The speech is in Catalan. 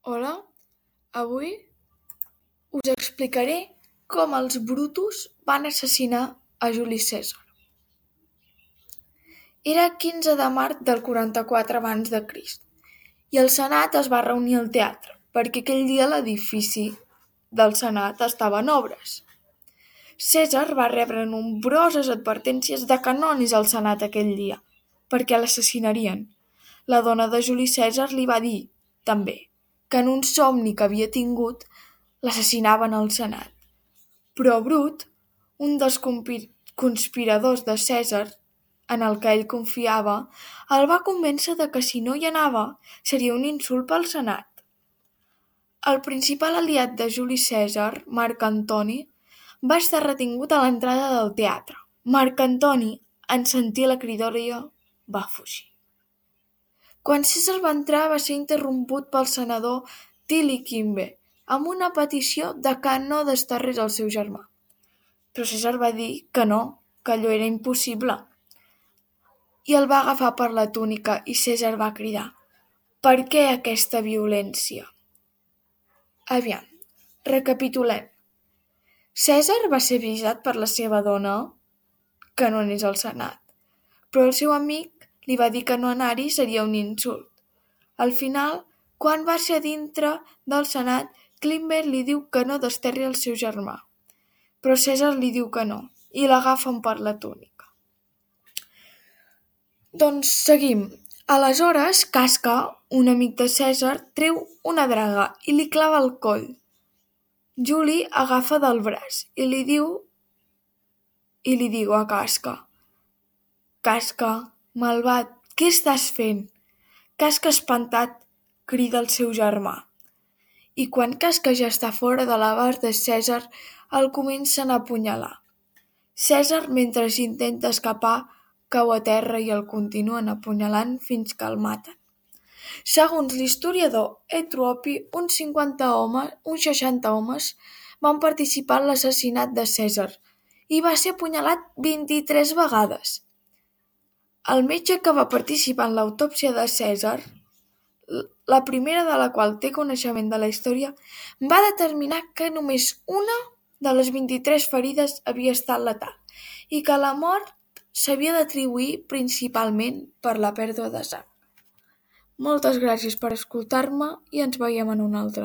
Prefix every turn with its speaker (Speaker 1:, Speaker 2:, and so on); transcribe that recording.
Speaker 1: Hola, avui us explicaré com els Brutus van assassinar a Juli Cèsar. Era 15 de març del 44 abans de Crist i el Senat es va reunir al teatre perquè aquell dia l'edifici del Senat estava en obres. Cèsar va rebre nombroses advertències de que no anés al Senat aquell dia, perquè l'assassinarien. La dona de Juli Cèsar li va dir, també, que en un somni que havia tingut l'assassinaven al Senat. Però Brut, un dels conspiradors de Cèsar, en el que ell confiava, el va convèncer de que si no hi anava seria un insult pel Senat. El principal aliat de Juli Cèsar, Marc Antoni, va estar retingut a l'entrada del teatre. Marc Antoni, en sentir la cridòria, va fugir. Quan Cèsar va entrar va ser interromput pel senador Tili Quimbe amb una petició de que no desterrés el seu germà. Però Cèsar va dir que no, que allò era impossible. I el va agafar per la túnica i Cèsar va cridar: «Per què aquesta violència?» Aviam, recapitulem. Cèsar va ser avisat per la seva dona que no anés al Senat, però el seu amic li va dir que no anar-hi seria un insult. Al final, quan va ser a dintre del Senat, Climber li diu que no desterri el seu germà, però Cèsar li diu que no i l'agafen per la túnica. Doncs seguim. Aleshores, Casca, un amic de Cèsar, treu una draga i li clava el coll. Juli agafa del braç i li diu a Casca: «Casca, malvat, què estàs fent?» Casca, espantat, crida el seu germà. I quan Casca ja està fora de l'abast de Cèsar, el comencen a apunyalar. Cèsar, mentre intenta escapar, cau a terra i el continuen apunyalant fins que el maten. Segons l'historiador Etropi, uns 60 homes van participar en l'assassinat de Cèsar i va ser apunyalat 23 vegades. El metge que va participar en l'autòpsia de Cèsar, la primera de la qual té coneixement de la història, va determinar que només una de les 23 ferides havia estat letal i que la mort s'havia d'atribuir principalment per la pèrdua de sang. Moltes gràcies per escoltar-me i ens veiem en un altre.